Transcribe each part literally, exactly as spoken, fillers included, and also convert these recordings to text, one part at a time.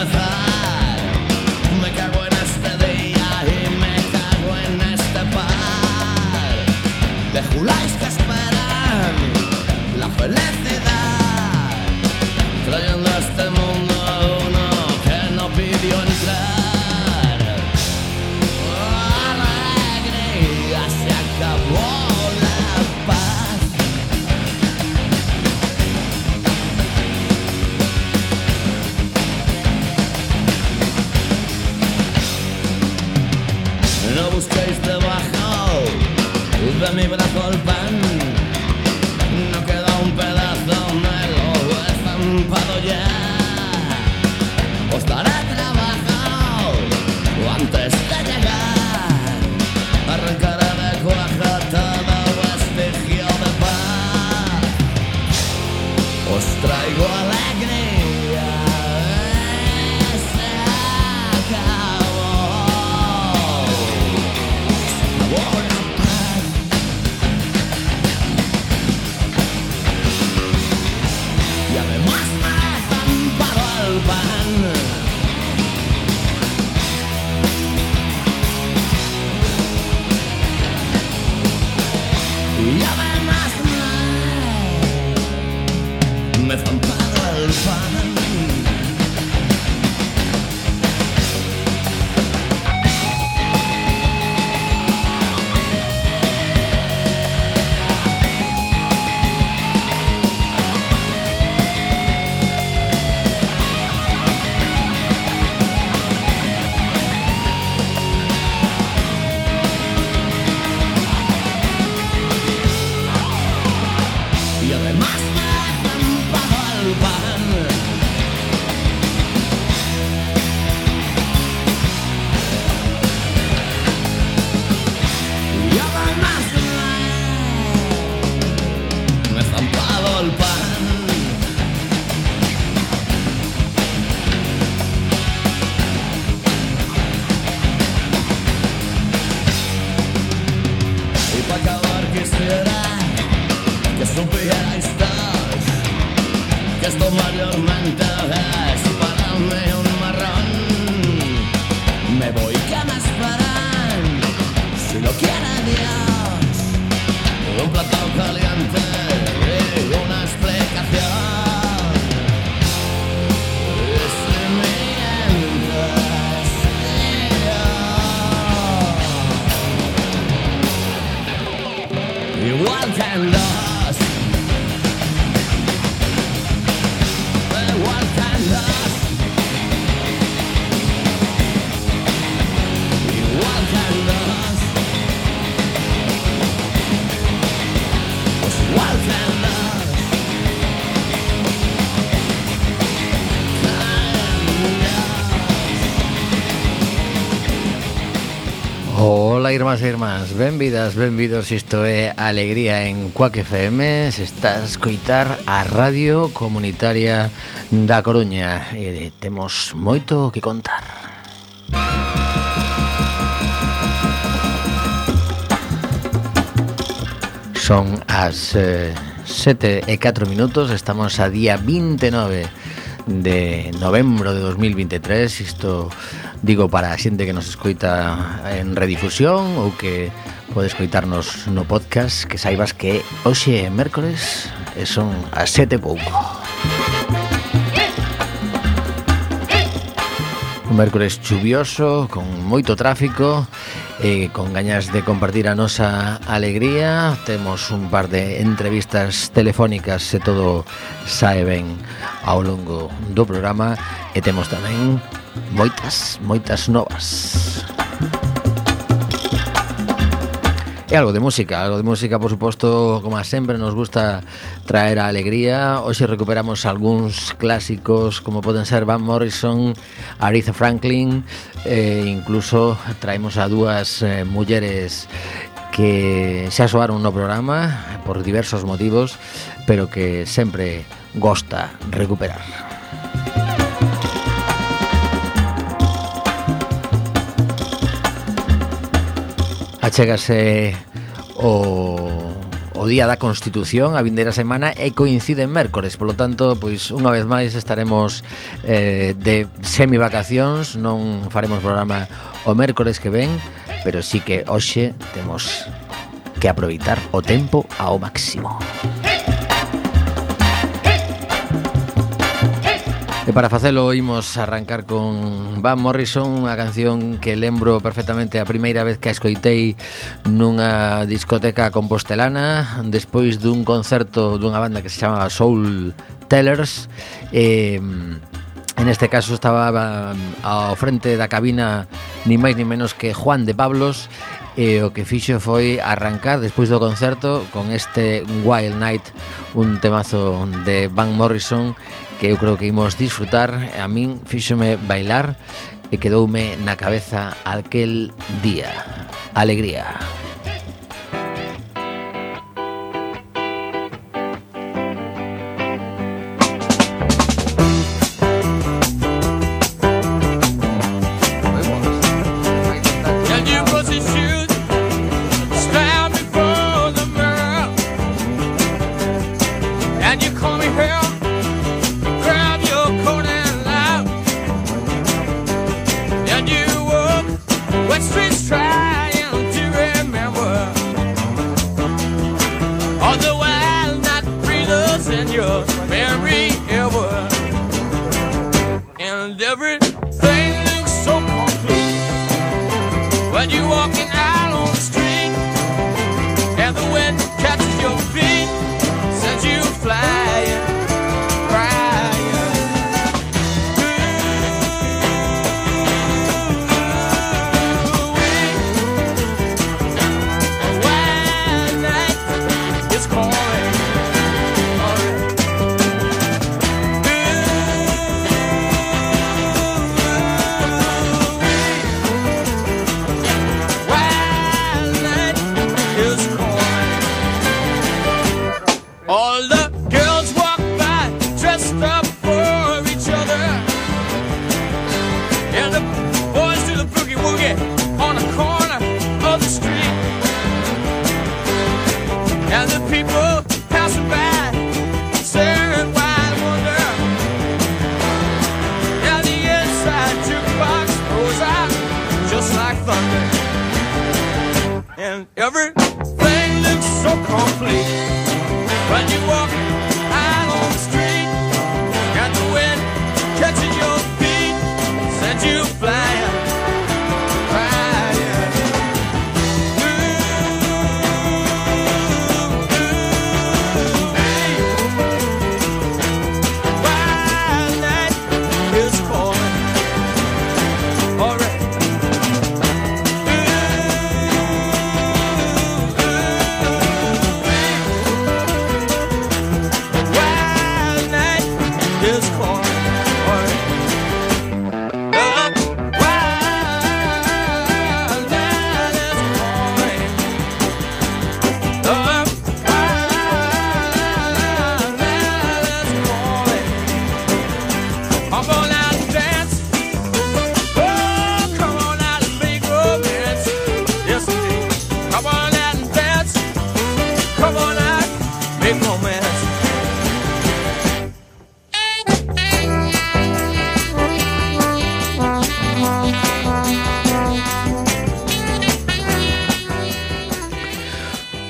empezar. Me cago en este día y me cago en este par de juláis que esperan la felicidad, trayendo a este mundo a uno que no pidió entrar. Alegría, se acabó la paz. No busquéis debajo de mi brazo el pan, no queda un pedazo, me lo he estampado ya. Os daré trabajo antes de llegar, arrancaré de cuajo todo vestigio de paz. Os traigo alegría, se acabó. Y además me he estampado el pan. Y además me, me he estampado el pan. Y además me he estampado el pan. Y además me, me he estampado el pan. Y para acabar quisiera que supierais todos que esto mayormente es para mí un marrón. Me voy, que me esperan, si lo quiere Dios, un plato caliente y una explicación. Y si mientras yo, igual que en los igual que en los igual que en los pues igual que en los Hola irmás e irmás, benvidas, benvidos, isto é Alegría en Cuac F M. Se está a escoitar a Radio Comunitaria da Coruña e temos moito que contar. Son as eh, sete e catro minutos, estamos a día vinte e nove de novembro de dos mil veintitrés. Isto digo para a xente que nos escoita en redifusión ou que pode escoitarnos no podcast, que saibas que hoxe é mércores e son as sete e pouco. Un mércores chuvioso, con moito tráfico e con gañas de compartir a nosa alegría. Temos un par de entrevistas telefónicas se todo sae ben ao longo do programa e temos tamén moitas, moitas novas. E algo de música, algo de música, por suposto, como sempre, nos gusta traer a alegría. Hoxe recuperamos algúns clásicos, como poden ser Van Morrison, Aretha Franklin, e incluso traemos a dúas eh, mulleres que xa soaron no programa por diversos motivos, pero que sempre gosta recuperar. Achégase o, o o día da Constitución, a vindeira semana, e coincide en mércores, polo tanto, pois unha vez máis estaremos eh, de semivacacións, non faremos programa o mércores que ven, pero sí que hoxe temos que aproveitar o tempo ao máximo. E para facelo imos arrancar con Van Morrison, unha canción que lembro perfectamente a primeira vez que a escoitei nunha discoteca compostelana despois dun concerto dunha banda que se chamaba Soul Tellers. E en este caso estaba ao frente da cabina ni máis ni menos que Juan de Pablos, e o que fixo foi arrancar despois do concerto con este Wild Night, un temazo de Van Morrison que eu creo que imos disfrutar. A min fíxome bailar e quedoume na cabeza aquel día. Alegría.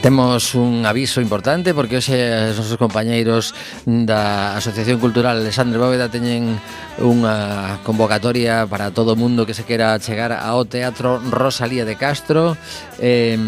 Temos un aviso importante porque hoxe os nosos compañeiros da Asociación Cultural Alexandre Bóveda teñen unha convocatoria para todo o mundo que se quera chegar ao Teatro Rosalía de Castro. eh,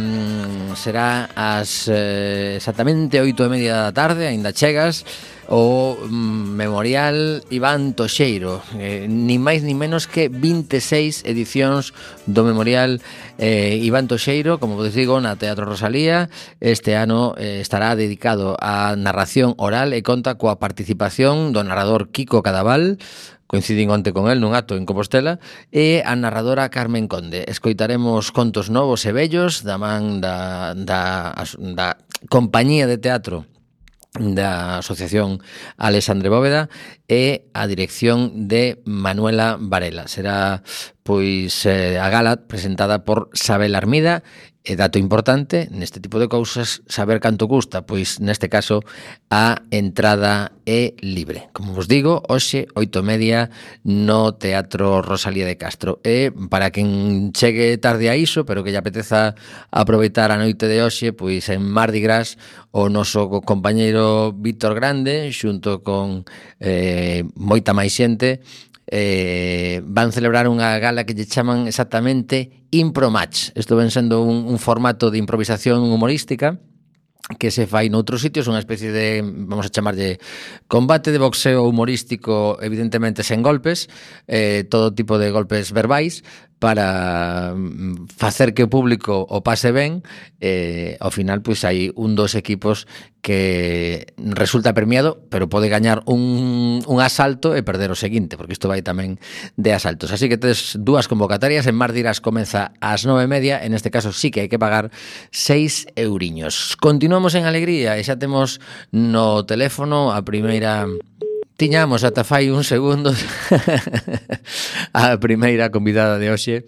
será ás eh, exactamente oito e media da tarde, aínda chegas. O mm, Memorial Iván Toxeiro, eh, ni máis ni menos que vinte e seis edicións do Memorial eh, Iván Toxeiro, como vos digo, na Teatro Rosalía. Este ano eh, estará dedicado á narración oral e conta coa participación do narrador Kiko Cadaval, coincidín onte con el nun acto en Compostela, e a narradora Carmen Conde. Escoitaremos contos novos e bellos da man da, da, da compañía de teatro da Asociación Alexandre Bóveda, e a dirección de Manuela Varela. Será pois eh, a gala presentada por Sabel Armida. E dato importante, neste tipo de cousas, saber canto custa, pois neste caso a entrada é libre. Como vos digo, hoxe, oito e media, no Teatro Rosalía de Castro. E para quen chegue tarde a iso, pero que lle apeteza aproveitar a noite de hoxe, pois en Mardi Gras, o noso compañeiro Víctor Grande, xunto con eh, moita máis xente, Eh, van celebrar unha gala que lle chaman exactamente Impro Match. Isto ven sendo un, un formato de improvisación humorística que se fai noutros sitios, unha especie de, vamos a chamarlle, combate de boxeo humorístico, evidentemente sen golpes, eh, todo tipo de golpes verbais, para facer que o público o pase ben. Eh, ao final, pois hai un dos equipos que resulta premiado, pero pode gañar un, un asalto e perder o seguinte, porque isto vai tamén de asaltos. Así que tes dúas convocatorias. En Mardi Gras comeza ás nove e media, en este caso sí que hai que pagar seis euriños. Continuamos en alegría e xa temos no teléfono a primeira... Tiñamos ata fai un segundo a primeira convidada de hoxe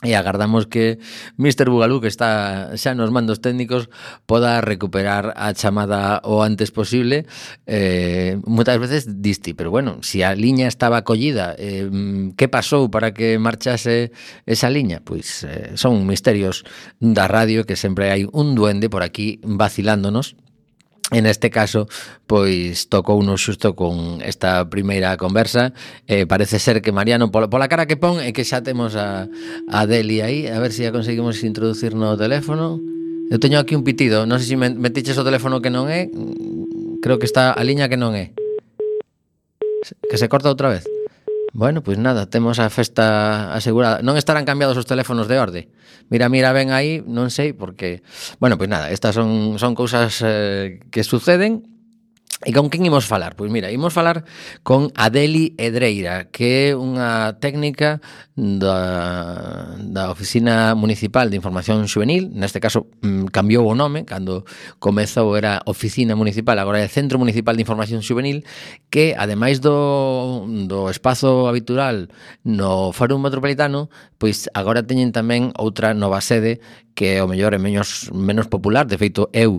e agardamos que mister Bugalú, que está xa nos mandos técnicos, poda recuperar a chamada o antes posible. Eh, moitas veces disti, pero bueno, se si a liña estaba acollida, eh, que pasou para que marchase esa liña? Pois eh, son misterios da radio, que sempre hai un duende por aquí vacilándonos. En este caso, pois tocounos xusto con esta primeira conversa. Eh, parece ser que Mariano, pola, pola cara que pon, é que xa temos a, a Deli aí. A ver se ya conseguimos introducir no teléfono. Eu teño aquí un pitido. Non sei se metiches o teléfono que non é. Creo que está a liña que non é. Que se corta outra vez. Bueno, pois nada, temos a festa asegurada. Non estarán cambiados os teléfonos de orde. Mira, mira, ven aí, non sei, porque... Bueno, pois nada, estas son, son cousas eh, que suceden. E con quen imos falar? Pois mira, imos falar con Adeli Edreira, que é unha técnica da, da Oficina Municipal de Información Xuvenil. Neste caso cambiou o nome, cando comezou era Oficina Municipal, agora é Centro Municipal de Información Xuvenil, que ademais do, do espazo habitual no Fórum Metropolitano, pois agora teñen tamén outra nova sede que o mellor é menos, menos popular. De feito, eu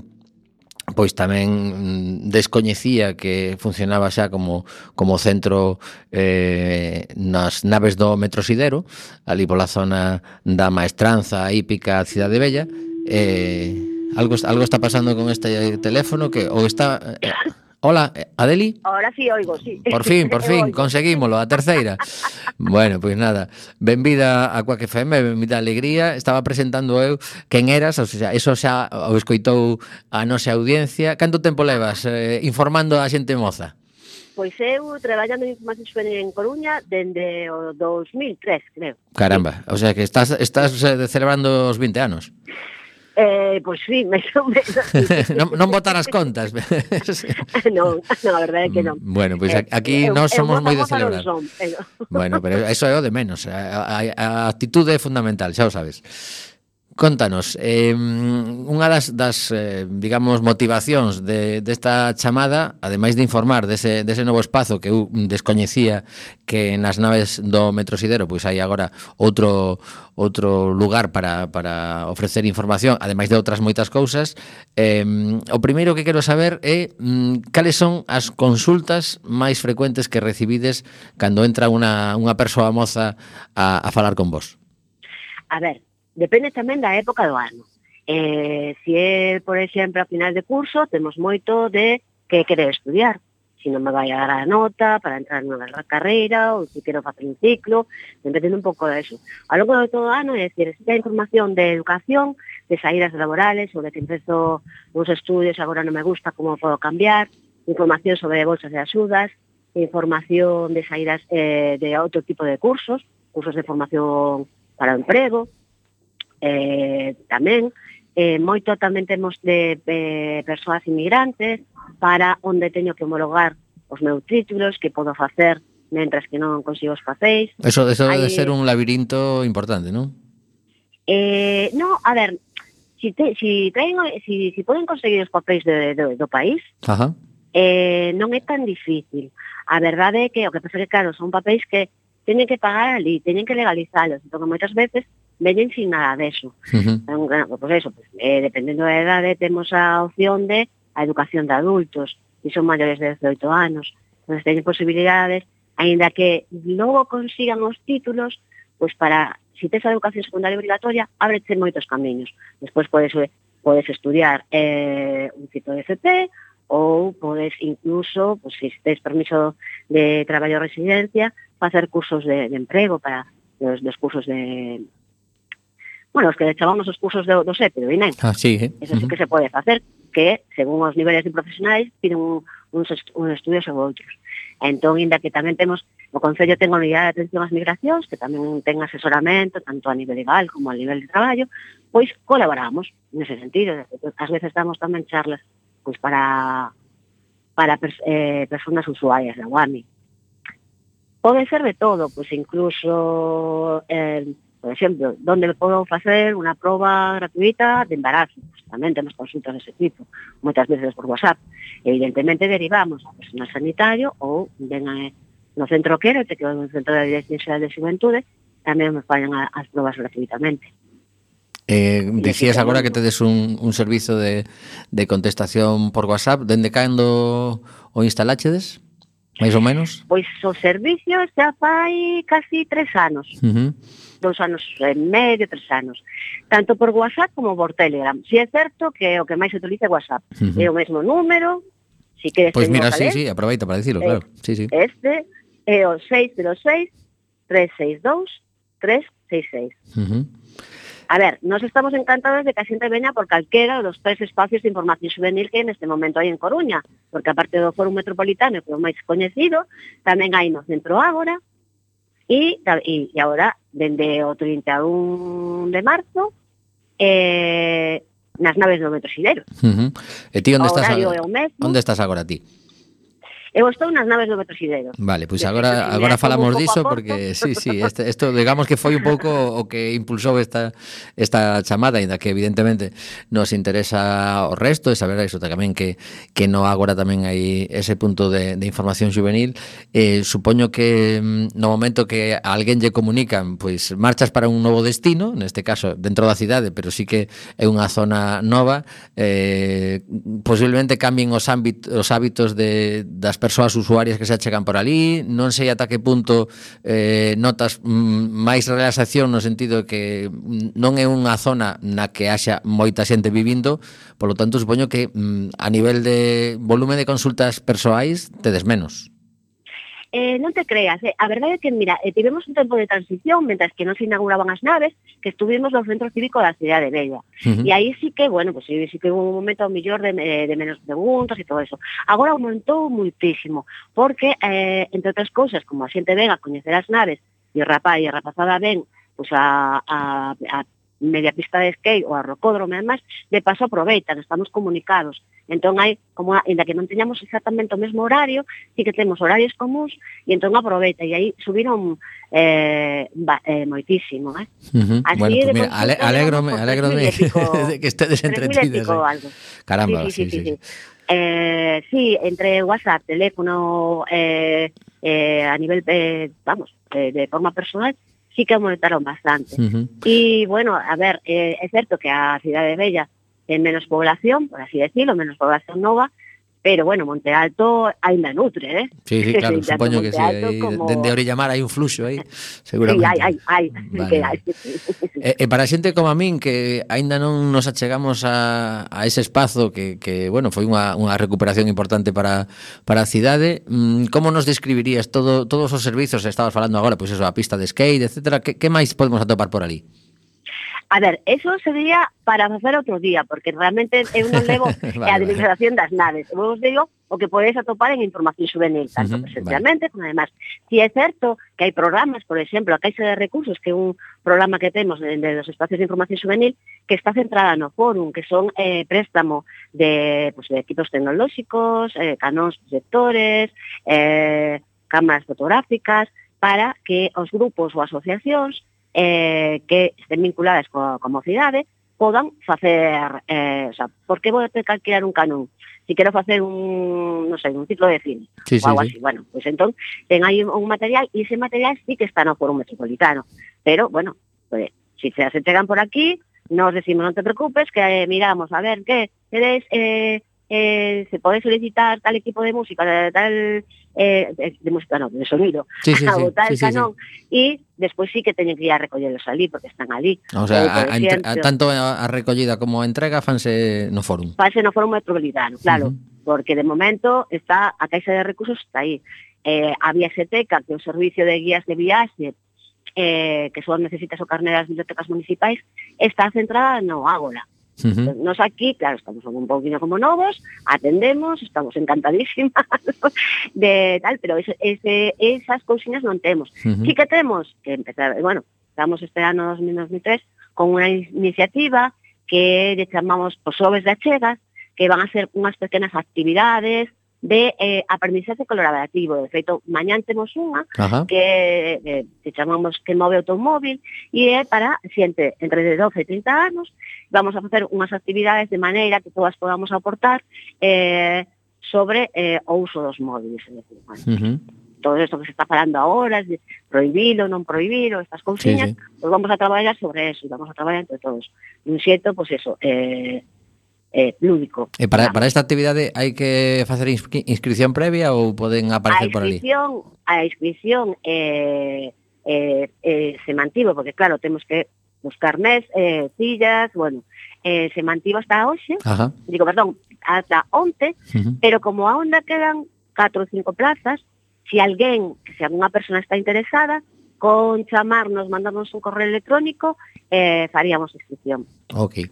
pois tamén descoñecía que funcionaba xa como, como centro eh, nas naves do Metrosidero, ali pola zona da Maestranza, Hípica, Cidade Bella. Eh, algo, algo está pasando con este teléfono que ou está... Eh, hola, Adeli? Ahora sí oigo, sí. Por fin, por fin, conseguímolo, a terceira. Bueno, pois pues nada, benvida a Quack F M, benvida a Alegría. Estaba presentando eu quen eras, o sea, eso xa o escoitou a nosa audiencia. Canto tempo levas eh, informando a xente moza? Pois eu traballando en Información Xuvenil en Coruña dende o dos mil tres, creo. Caramba, o sea que estás, estás celebrando os vinte anos. Eh, pois sí, máis ou menos. non, non botar as contas. non, non, a verdade é que non. Bueno, pois pues aquí eh, nós somos moi de celebrar. Son, pero... Bueno, pero eso é o de menos. A, a, a actitude é fundamental, xa o sabes. Contanos, eh, unha das, das eh, digamos, motivacións de, desta chamada, ademais de informar dese, dese novo espazo que eu descoñecía, que nas naves do Metrosidero pois hai agora outro outro lugar para, para ofrecer información, ademais de outras moitas cousas. Eh, o primeiro que quero saber é mm, cales son as consultas máis frecuentes que recibides cando entra unha, unha persoa moza a, a falar con vos. A ver, depende tamén da época do ano. Eh, se é, por exemplo, a final de curso, temos moito de que quere estudiar. Se non me vai a dar a nota para entrar nunha carreira, ou se quero facer un ciclo, depende un pouco de eso. A longo de todo o ano, é dicir, se hai información de educación, de saídas laborales, ou de que empezo uns estudios, agora non me gusta, como podo cambiar, información sobre bolsas de axudas, información de saídas eh, de outro tipo de cursos, cursos de formación para o emprego, Eh, tamén eh, moito tamén temos de eh, persoas inmigrantes para onde teño que homologar os meus títulos, que podo facer mentras que non consigo os facéis. Eso, eso Hay... debe ser un labirinto importante, non? Eh, no, a ver, si, te, si, traen, si, si poden conseguir os papéis de, de, do país, Ajá. eh, non é tan difícil. A verdade é que o que pasa é que, claro, son papéis que teñen que pagar ali, teñen que legalizalos, entón moitas veces veñen sin nada deso. Uh-huh. Entón, claro, pues eso, pues, eh, dependendo da edade, temos a opción de a educación de adultos, que son maiores de dezoito anos. Entón, teñen posibilidades, aínda que logo consigan os títulos, pues para, si tes a educación secundaria obrigatoria, ábrete moitos camiños. Despois podes, podes estudiar eh, un tipo de F P, ou podes incluso, pues, se tes permiso de traballo ou residencia, facer cursos de, de emprego para os, dos cursos de... Bueno, os que chamamos os cursos do, do SEPE, do INEM. Ah, sí, eh? Eso sí que se pode facer, que, según os niveles de profesionais, piden un, uns, un estudios ou outros. Entón, inda que tamén temos, o Concello ten a unidade de atención ás migracións, que tamén ten asesoramento, tanto a nivel legal como a nivel de traballo, pois colaboramos nese sentido. Ás veces damos tamén charlas pois para para pers eh, persoas usuarias da U A M I. Pode ser de todo, pois incluso, eh, por exemplo, donde podo facer unha proba gratuita de embarazo. Pois tamén temos consultas dese tipo, moitas veces por WhatsApp. Evidentemente derivamos a personal sanitario ou ven a, no centro quero, que é no centro de Dirección Xeral de Xuventude, tamén me fallan a, as probas gratuitamente. Eh, dicías agora que tedes un, un servizo de, de contestación por WhatsApp. Dende cando o instalachedes? Mais ou menos? Pois o servicio xa fai casi tres anos. Uh-huh. Dos anos e medio, tres anos. Tanto por WhatsApp como por Telegram. Si é certo que o que máis se utiliza é WhatsApp. Uh-huh. É o mesmo número. Si queres pois mira, sí, calés, sí, aproveita para dicilo, claro. Sí, sí. Este é o seis cero seis, tres seis dous, tres seis seis. Uh-huh. A ver, nos estamos encantados de que a xente veña por calquera dos tres espacios de información juvenil que neste momento hai en Coruña, porque aparte do Fórum Metropolitano, que é o máis coñecido, tamén hai no Centro Ágora, e, e, e agora, dende o trinta e un de marzo, eh, nas naves do Metro Xideros. Uh-huh. E ti onde estás agora? Onde estás agora ti? Eu estou nas naves do Metro Xideros. Vale, pois pues agora agora falamos diso porque sí, sí, este, esto digamos que foi un pouco o que impulsou esta esta chamada, ainda que evidentemente nos interesa o resto e saber iso tamén que que no agora tamén hai ese punto de, de información juvenil. Eh, supoño que no momento que a alguén lle comunican, pois marchas para un novo destino, neste caso dentro da cidade, pero sí que é unha zona nova, eh, posiblemente cambien os ámbitos, os hábitos de das persoas usuarias que se achegan por ali. Non sei ata que punto eh, notas mm, máis relaxación no sentido de que non é unha zona na que haxa moita xente vivindo, polo tanto supoño que mm, a nivel de volume de consultas persoais tedes menos. Eh, non te creas, eh. A verdade é que, mira, eh, tivemos un tempo de transición mentras que non se inauguraban as naves, que estuvimos no centro cívico da cidade Bella. Uh-huh. E aí sí que, bueno, pues sí, sí que hubo un momento ao millor de, de menos preguntas e todo eso. Agora aumentou muitísimo, porque, eh, entre outras cousas, como a xente ven a coñecer as naves, e o rapaz e a rapazada ven pues, a, a, a media pista de skate ou a rocódromo, además, de paso aproveitan, estamos comunicados. Entón hai, como ainda que non teñamos exactamente o mesmo horario, sí que temos horarios comuns, e entón aproveita, e aí subiron eh, ba, eh, moitísimo, eh? Uh-huh. Así, bueno, pues mira, ale, alégrome, alégrome de que estedes entretidas. Eh. Caramba, sí, sí, sí. sí, sí. Eh, sí, entre WhatsApp, teléfono, eh, eh, a nivel, eh, vamos, eh, de forma personal, sí que aumentaron bastante. Uh-huh. E, bueno, a ver, eh, é certo que a cidade Bella ten menos población, por así decirlo, menos población nova, pero, bueno, Monte Alto ainda nutre, eh? Sí, sí, claro, supoño que sí, aí, como... dende Orillamar hai un fluxo aí, seguramente. Sí, hai, hai, hai. Vale. Que hai. E, e para xente como a min, que aínda non nos achegamos a, a ese espazo que, que bueno, foi unha, unha recuperación importante para, para a cidade, como nos describirías todo, todos os servizos, estabas falando agora, pois pues eso, a pista de skate, etcétera, que, que máis podemos atopar por ali? A ver, eso sería para facer outro día, porque realmente eu non levo vale, a administración vale. das naves. Eu vos digo o que podedes atopar en información juvenil, tanto uh-huh, presencialmente vale. como además. Si é certo que hai programas, por exemplo, a Caixa de Recursos, que é un programa que temos dentro dos espacios de información juvenil, que está centrada no fórum, que son eh, préstamo de, pues, de equipos tecnolóxicos, eh, canóns proxectores, eh, cámaras fotográficas, para que os grupos ou asociacións eh, que estén vinculadas coa, coa mocidade podan facer, eh, o sea, por que vou ter que alquilar un canón? si quero facer un, non sei, un ciclo de cine, sí, ou algo sí, así. Sí. Bueno, pois pues entón, ten aí un material, e ese material sí que está no Foro Metropolitano. Pero, bueno, pues, si se se chegan por aquí, nos decimos, non te preocupes, que eh, miramos, a ver, que queréis... Eh, Eh, se pode solicitar tal equipo de música, de tal eh, de, de música no, de sonido, sí, sí, sí, o tal sí, sí, canón, e sí. despois sí que teñen que ir a recollelos ali, porque están ali. O sea, a, a, a, tanto a recollida como a entrega fanse no fórum. Fanse no Foro Metropolitano, claro, uh -huh. porque de momento está a Caixa de Recursos está aí. Eh, a Viaxeteca, que é o servicio de guías de viaxe, eh, que só necesitas o carné das bibliotecas municipais, está centrada no Ágora. Uh -huh. Nos aquí, claro, estamos un poquinho como novos, atendemos, estamos encantadísimas de tal, pero ese, ese, esas cousiñas non temos. Uh -huh. Sí que temos que empezar, bueno, estamos este ano dos mil veintitrés con unha iniciativa que le chamamos os Xoves de Achegas, que van a ser unhas pequenas actividades de eh, aprendizaje colaborativo. De feito, mañán temos unha Ajá. que eh, que chamamos que move automóvil e é para xente entre doce e trinta anos. Vamos a facer unhas actividades de maneira que todas podamos aportar eh, sobre eh, o uso dos móviles. É dicir, bueno, uh -huh. todo isto que se está falando agora, de prohibilo, non prohibilo, estas cousiñas, sí, sí. Pues vamos a traballar sobre eso, vamos a traballar entre todos. Un xeito, pois pues eso, eh, eh, lúdico. E para, para esta actividade hai que facer inscri inscripción previa ou poden aparecer por ali? A inscripción eh, eh, eh, se mantivo, porque claro, temos que buscar mes, eh, sillas, bueno, eh, se mantivo hasta hoxe, Ajá. digo, perdón, hasta onte, uh -huh. pero como aonde quedan catro ou cinco plazas, se alguén, que se alguna persona está interesada, con chamarnos, mandarnos un correo electrónico, eh, faríamos inscripción. Ok.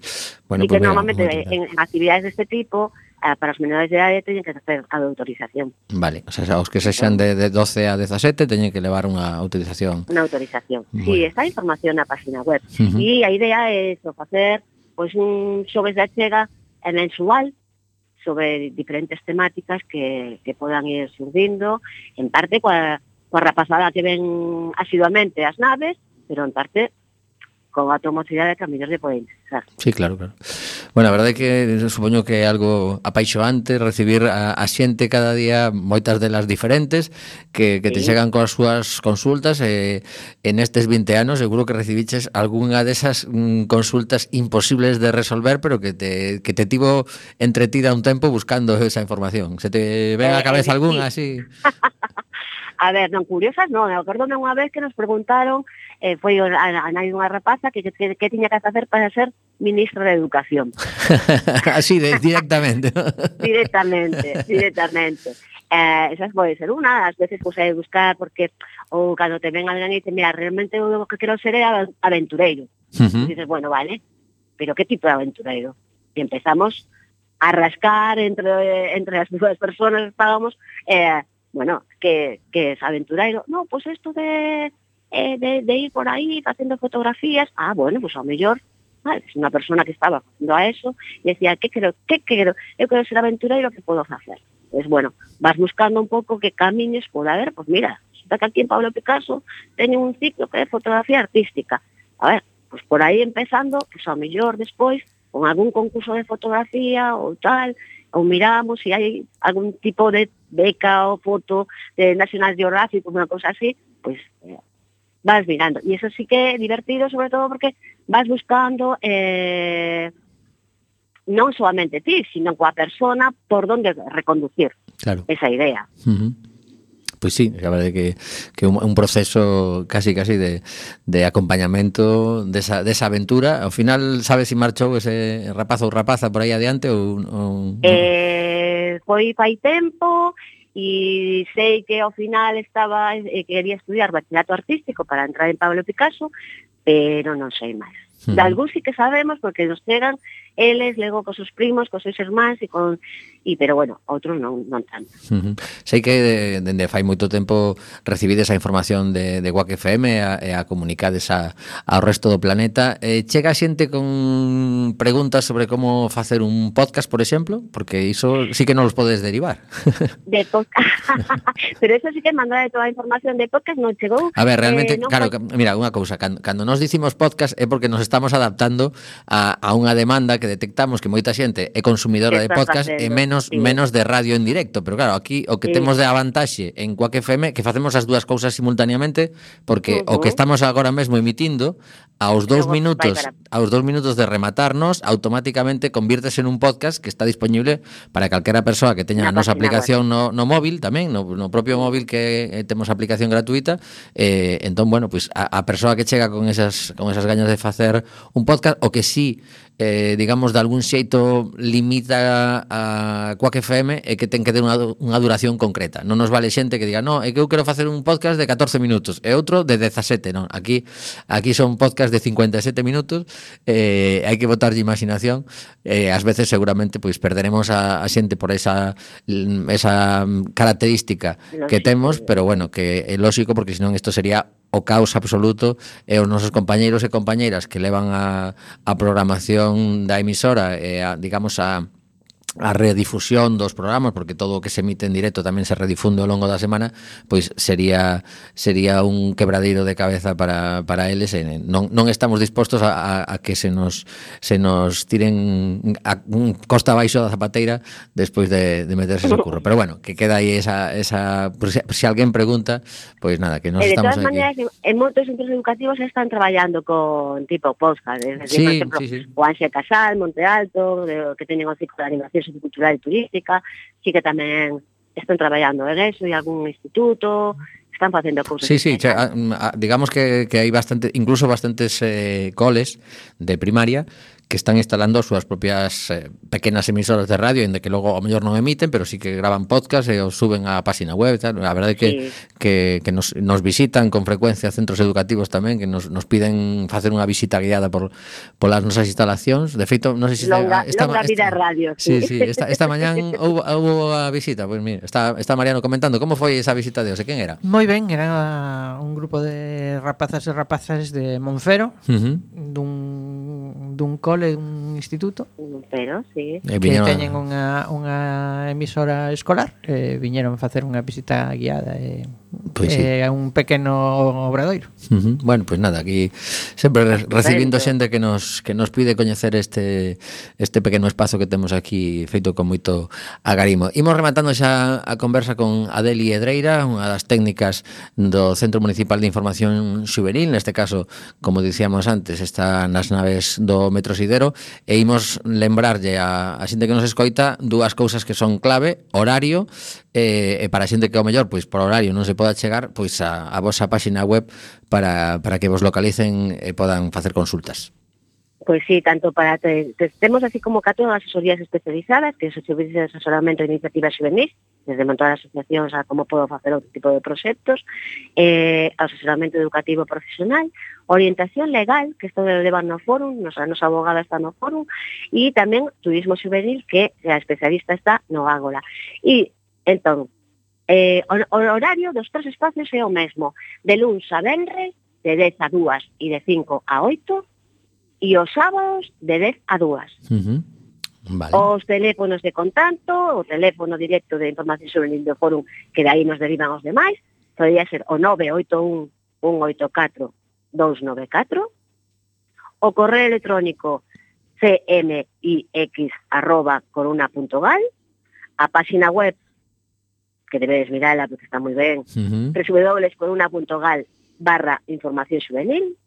Bueno, y pues que mira, normalmente en, en actividades deste tipo, eh, para os menores de edade teñen que hacer a autorización. Vale, o sea, os que sexan de, de doce a dezasete teñen que levar unha autorización. Unha autorización. Bueno. Sí, está a información na página web. Uh -huh. E a idea é eso, facer pois pues, un xoves de achega mensual sobre diferentes temáticas que, que podan ir surdindo, en parte coa coa rapazada que ven asiduamente as naves, pero en parte con a tomosidade que a mellor lle pode interesar. Sí, claro, claro. Bueno, a verdade é que supoño que é algo apaixoante recibir a, a xente cada día, moitas delas diferentes, que, que sí. te chegan coas súas consultas, e en estes vinte anos seguro que recibiches algunha desas mm, consultas imposibles de resolver, pero que te, que te tivo entretida un tempo buscando esa información. Se te ven a cabeza eh, algunha sí. así? A ver, non curiosas, non, acordome unha vez que nos preguntaron, eh, foi a, a nai dunha rapaza que, que, que tiña que facer para ser ministra de Educación. Así, de, directamente. directamente, directamente. Eh, esas pode ser unha, ás veces pues, hai buscar, porque ou cando te ven alguén e dice, mira, realmente o que quero ser é aventureiro. Uh -huh. E dices, bueno, vale, pero que tipo de aventureiro? E empezamos a rascar entre, entre as dúas personas, estábamos... Eh, bueno, que, que es aventurero. No, pues esto de, eh, de, de ir por ahí haciendo fotografías, ah, bueno, pues a lo mejor, vale, es una persona que estaba haciendo a eso y decía, ¿qué quiero? ¿Qué quiero? Yo quiero ser aventurero, ¿qué puedo hacer? Pues bueno, vas buscando un poco qué caminos puede haber, pues mira, resulta que aquí en Pablo Picasso tiene un ciclo que es fotografía artística. A ver, pues por ahí empezando, pues a lo mejor después, con algún concurso de fotografía o tal, ou miramos se hai algún tipo de beca ou foto de National Geographic, unha cosa así, pois pues, eh, vas mirando. E iso sí que é divertido, sobre todo porque vas buscando eh, non solamente ti, sino coa persona por donde reconducir claro. esa idea. Uh -huh. Pois sí, a verdade que, que un, un proceso casi casi de, de acompañamento desa, desa aventura. Ao final, sabes se si marchou ese rapazo ou rapaza por aí adiante ou... ou eh, foi fai tempo e sei que ao final estaba eh, quería estudiar bachillerato artístico para entrar en Pablo Picasso, pero non sei máis. De algún sí que sabemos porque nos chegan eles, logo cos seus primos, cos seus irmáns e con e pero bueno, outros non non tanto. Uh -huh. Sei que dende fai moito tempo recibides a información de de Guac F M e a, a comunicades a, ao resto do planeta. Eh, chega xente con preguntas sobre como facer un podcast, por exemplo, porque iso sí que non os podes derivar. De podcast. Pero eso sí que mandar toda a información de podcast non chegou. A ver, realmente, eh, no claro, fai... mira, unha cousa, cando, cando nos nós dicimos podcast é porque nos estamos adaptando a, a unha demanda que detectamos que moita xente é consumidora de podcast facendo, e menos sí. menos de radio en directo, pero claro, aquí o que sí. temos de avantaxe en Quack F M que facemos as dúas cousas simultaneamente porque uh-huh. o que estamos agora mesmo emitindo aos dous minutos aos dous minutos de rematarnos automáticamente convírtese en un podcast que está disponible para calquera persoa que teña a nosa aplicación no, no móvil tamén, no, no propio móvil que eh, temos aplicación gratuita eh, entón, bueno, pois pues, a, a persoa que chega con esas con esas gañas de facer un podcast o que sí eh, digamos, de algún xeito limita a Quack F M é que ten que ter unha, unha duración concreta. Non nos vale xente que diga, no, é que eu quero facer un podcast de catorce minutos e outro de dezasete, non. Aquí aquí son podcast de cincuenta e sete minutos, eh, hai que botarlle imaginación, eh, ás veces seguramente pois perderemos a, a xente por esa esa característica lógico. Que temos, pero bueno, que é lógico porque senón isto sería o caos absoluto e os nosos compañeiros e compañeiras que levan a, a programación da emisora e a, digamos a a redifusión dos programas, porque todo o que se emite en directo tamén se redifunde ao longo da semana, pois sería sería un quebradeiro de cabeza para, para eles e non, non estamos dispostos a, a, a que se nos se nos tiren a un costa abaixo da zapateira despois de, de meterse ese curro. Pero bueno, que queda aí esa, esa por si, se alguén pregunta, pois nada, que nos de estamos aquí. De todas maneras, en moitos centros educativos están traballando con tipo podcast, es decir, sí, por exemplo, sí, sí. o Anxia Casal, Monte Alto, de, que teñen o ciclo de animación cultural e turística, sí que tamén están traballando en eso, e algún instituto están facendo cousas. Sí, sí, che, a, a, digamos que, que hai bastante, incluso bastantes eh, coles de primaria que están instalando as súas propias eh, pequenas emisoras de radio, en de que logo ao mellor non emiten, pero sí que graban podcast e os suben á página web e tal. A verdade é que, sí. que, que nos, nos visitan con frecuencia centros educativos tamén, que nos, nos piden facer unha visita guiada por polas nosas instalacións. De feito, non sei se longa, esta, longa vida esta, radio. Sí, sí, sí esta, esta mañán houve, houve a visita, pois pues, mira, está, está Mariano comentando como foi esa visita de hoxe, quen era? Moi ben, era un grupo de rapazas e rapazas de Monfero, uh-huh. dun, dun cole, un instituto, pero sí, que teñen unha, unha emisora escolar, e viñeron facer unha visita guiada e pues sí. eh, un pequeno obradoiro. Uh-huh. Bueno, pues nada, aquí sempre recibindo xente que nos que nos pide coñecer este este pequeno espazo que temos aquí feito con moito agarimo. Imos rematando xa a conversa con Adeli Edreira, unha das técnicas do Centro Municipal de Información Xuvenil, neste caso, como dicíamos antes, está nas naves do Metro Sidero, e imos lembrarlle a, a xente que nos escoita dúas cousas que son clave: horario, e, e para a xente que ao mellor, pois por horario non se poda chegar, pois a, a vosa páxina web para, para que vos localicen e podan facer consultas. Pois sí, tanto para te, te, temos así como catro asesorías especializadas, que é o servicio de asesoramento de iniciativas juvenis, desde montar asociacións a como podo facer outro tipo de proxectos, eh, asesoramento educativo profesional, orientación legal, que isto levan no fórum, nos, a nosa abogada está no fórum, e tamén turismo juvenil, que a especialista está no Ágora. E, entón, eh, o, o horario dos tres espacios é o mesmo, de luns a venres, de dez a dúas e de cinco a oito, e os sábados de dez a dúas. Uh-huh. Vale. Os teléfonos de contacto, o teléfono directo de información sobre o fórum, que de aí nos derivan os demais, podría ser o nove oito un, un oito catro, dous nove catro, o correo electrónico cmix arroba coruna punto gal, a páxina web, que debedes mirala porque está moi ben, uh-huh. www.coruna punto gal barra información juvenil,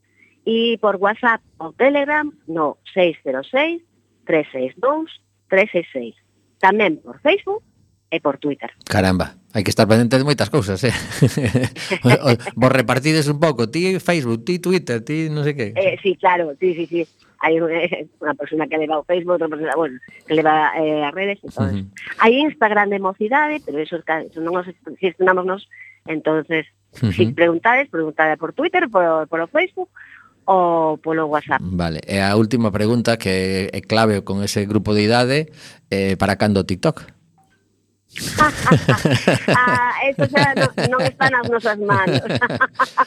e por WhatsApp ou Telegram no seis cero seis, tres seis dous, tres seis seis. Tamén por Facebook e por Twitter. Caramba, hai que estar pendente de moitas cousas, eh? Vos repartides un pouco, ti Facebook, ti Twitter, ti non sei que. Eh, sí, claro, sí, sí, sí. Hai unha persona que leva o Facebook, outra persona, bueno, que leva eh, as redes, entonces. Uh-huh. Hai Instagram de mocidade, pero eso, eso non nos gestionamos nos, entonces, uh-huh. si preguntades, preguntade por Twitter, por, por Facebook, ou polo WhatsApp. Vale, e a última pregunta que é clave con ese grupo de idade, eh, para cando TikTok? ah, eso xa non, non está nas nosas manos.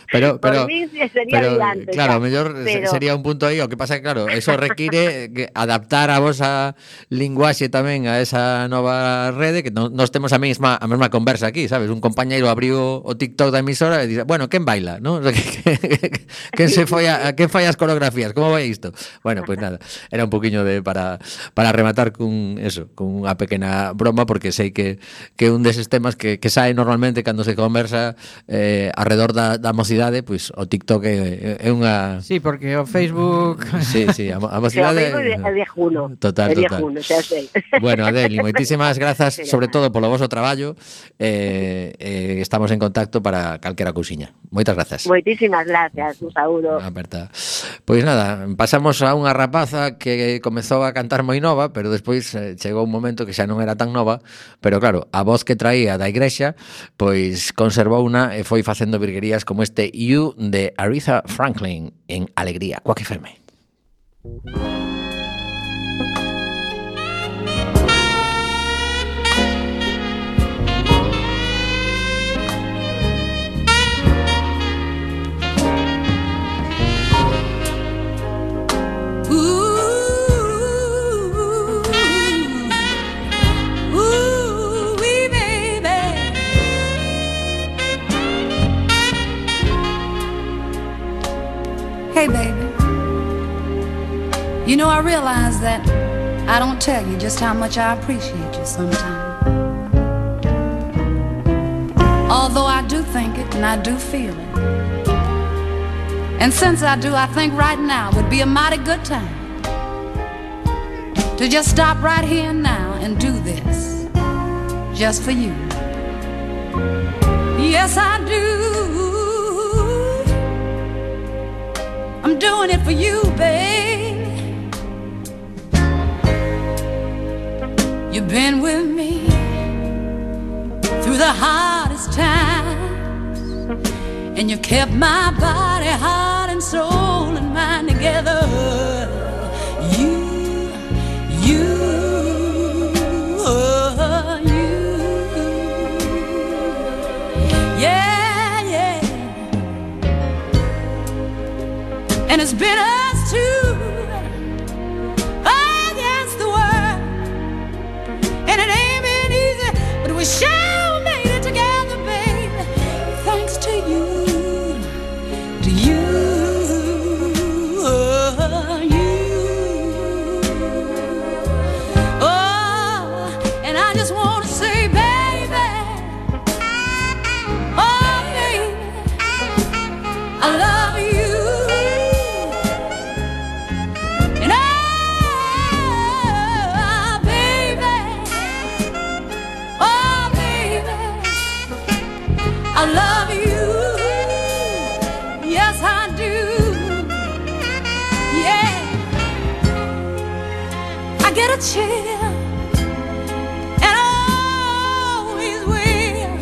pero, pero, por mí sería pero adiante, claro, xa. mellor pero... sería un punto aí. O que pasa é que, claro, eso require que adaptar a vosa linguaxe tamén a esa nova rede, que non, nos temos a mesma a mesma conversa aquí, sabes? Un compañeiro abriu o TikTok da emisora e dice, bueno, quen baila, ¿no? quen se foi a, quen fai as coreografías, como vai isto? Bueno, pois pues nada, era un poquiño de para para rematar cun eso, con unha pequena broma, porque sei que que un deses temas que, que sae normalmente cando se conversa eh, alrededor da, da mocidade, pois o TikTok é, é unha... Sí, porque o Facebook... Sí, sí, a, a mocidade... O Facebook é viejuno. Total, é total. viejuno, xa sei. Bueno, Adeli, moitísimas grazas, sobre todo polo voso traballo. Eh, eh, estamos en contacto para calquera cousiña. Moitas grazas. Moitísimas gracias, un saúdo. Aperta. Pois nada, pasamos a unha rapaza que comezou a cantar moi nova, pero despois eh, chegou un momento que xa non era tan nova, pero claro, a voz que traía da igrexa, pois conservou unha e foi facendo virguerías como este You de Aretha Franklin en Alegría, Quack F M. Hey, baby, you know, I realize that I don't tell you just how much I appreciate you sometimes. Although I do think it and I do feel it. And since I do, I think right now would be a mighty good time to just stop right here and now and do this just for you. Yes, I do. I'm doing it for you, babe. You've been with me through the hardest times, and you kept my body, heart, and soul and mind together. You, you, oh, you. Yeah, yeah. And it's been us two against the world, and it ain't been easy, but we sure made it together, baby. Thanks to you, to you, oh, you. Oh, and I just want to say, baby, oh, baby, I love you. I love you, yes I do, yeah. I get a chill, and I always will,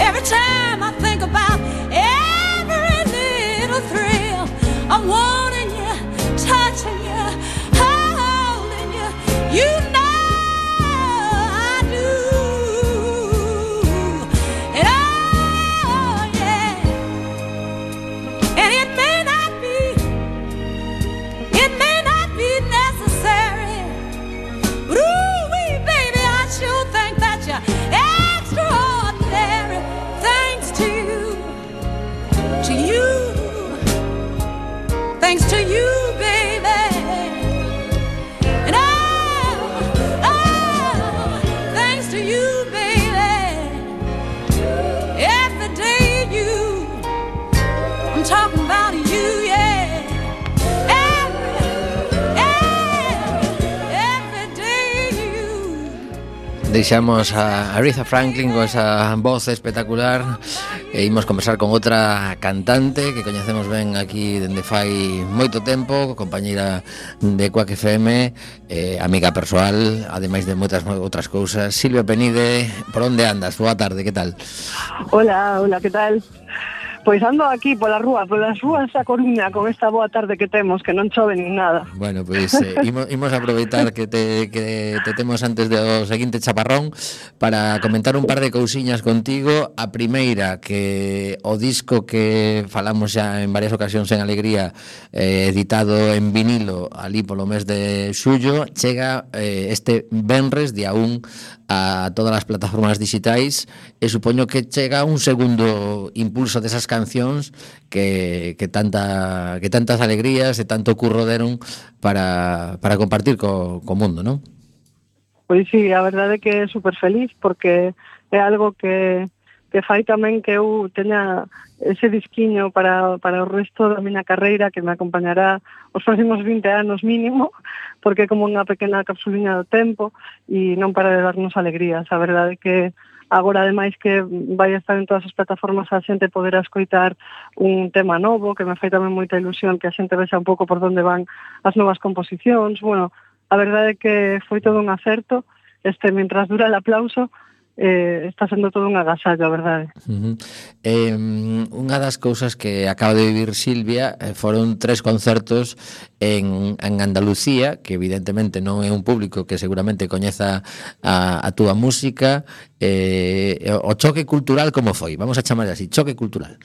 every time I think about every little thrill. I'm wanting you, touching you, holding you, you know. Thanks to you, baby. And oh, oh, thanks to you, baby. Every day you, I'm talking about you, yeah. Every, every, every day you. Deixamos a Aretha Franklin con esa voz espectacular e imos conversar con outra cantante que coñecemos ben aquí dende fai moito tempo, compañeira de Quack F M, eh, amiga persoal, ademais de moitas outras cousas. Silvia Penide, por onde andas? Boa tarde, que tal? Hola, hola, que tal? Pois ando aquí pola rúa, polas rúas da Coruña con esta boa tarde que temos, que non chove nin nada. Bueno, pois eh, imos, imos aproveitar que te, que te temos antes do seguinte chaparrón para comentar un par de cousiñas contigo. A primeira, que o disco que falamos xa en varias ocasións en Alegría, eh, editado en vinilo ali polo mes de xullo, chega eh, este venres día un a todas as plataformas digitais, e supoño que chega un segundo impulso desas cancións que, que tanta que tantas alegrías e tanto curro deron para, para compartir co, co mundo, non? Pois sí, a verdade é que é super feliz porque é algo que, que fai tamén que eu teña ese disquiño para, para o resto da miña carreira que me acompañará os próximos vinte anos mínimo, porque é como unha pequena capsuliña do tempo e non para de darnos alegrías. A verdade é que agora, ademais, que vai estar en todas as plataformas, a xente poderá escoitar un tema novo, que me fai tamén moita ilusión que a xente vexa un pouco por onde van as novas composicións. Bueno, a verdade é que foi todo un acerto. Este, mientras dura el aplauso, eh, está sendo todo un agasallo, a verdade. Uh-huh. Eh, unha das cousas que acaba de vivir Silvia eh, foron tres concertos en, en Andalucía, que evidentemente non é un público que seguramente coñeza a, a túa música. Eh, o choque cultural como foi? Vamos a chamar así, choque cultural.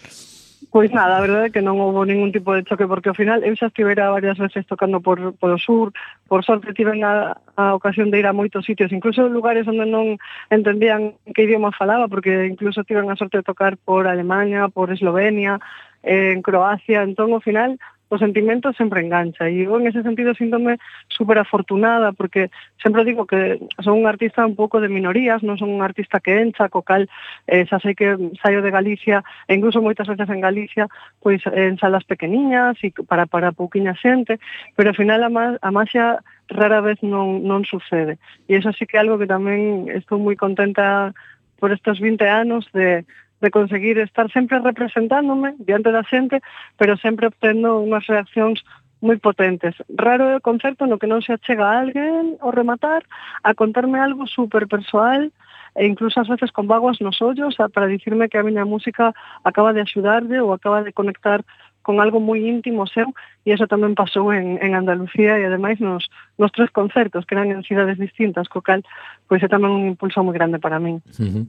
Pois nada, a verdade é que non houve ningún tipo de choque, porque ao final eu xa estivera varias veces tocando por, por o sur, por sorte tiven a, a ocasión de ir a moitos sitios, incluso lugares onde non entendían que idioma falaba, porque incluso tiven a sorte de tocar por Alemania, por Eslovenia, eh, en Croacia, entón ao final o sentimento sempre engancha, e eu en ese sentido síntome super afortunada, porque sempre digo que son un artista un pouco de minorías, non son un artista que encha, co cal eh, xa sei que saio de Galicia, e incluso moitas veces en Galicia, pois en salas pequeniñas e para, para pouquiña xente, pero ao final a, ma, a maxia rara vez non, non sucede, e iso sí que é algo que tamén estou moi contenta por estes vinte anos de de conseguir estar sempre representándome diante da xente, pero sempre obtendo unhas reaccións moi potentes. Raro é o concerto no que non se achega a alguén ao rematar a contarme algo super persoal e incluso ás veces con vaguas nos ollos para dicirme que a miña música acaba de axudarlle ou acaba de conectar con algo moi íntimo seu, e iso tamén pasou en, en Andalucía e ademais nos, nos tres concertos que eran en cidades distintas, co cal pois é tamén un impulso moi grande para min. Uh-huh.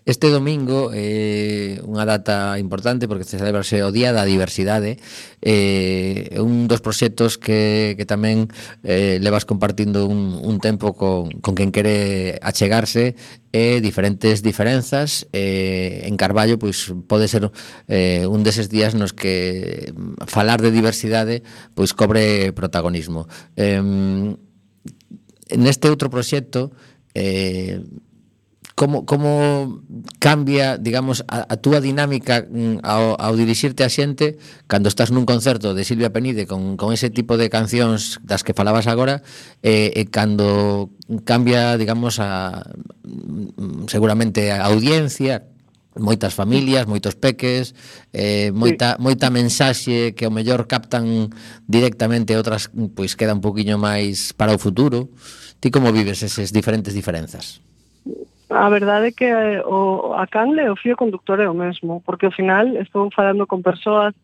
Este domingo é eh, unha data importante porque se celebrase o Día da Diversidade, é eh, un dos proxectos que, que tamén eh, levas compartindo un, un tempo con, con quen quere achegarse e diferentes diferenzas. Eh, en Carballo pois pode ser eh, un deses días nos que falar de diversidade pois cobre protagonismo. Eh, neste outro proxecto, eh, como, como cambia, digamos, a, a túa dinámica ao, ao dirixirte a xente cando estás nun concerto de Silvia Penide con, con ese tipo de cancións das que falabas agora, e, e cando cambia, digamos, a seguramente a audiencia, moitas familias, moitos peques, eh, moita, sí. moita mensaxe que ao mellor captan directamente, outras pois queda un poquinho máis para o futuro. Ti como vives eses diferentes diferenzas? A verdade é que o, a canle o fío conductor é o mesmo, porque ao final estou falando con persoas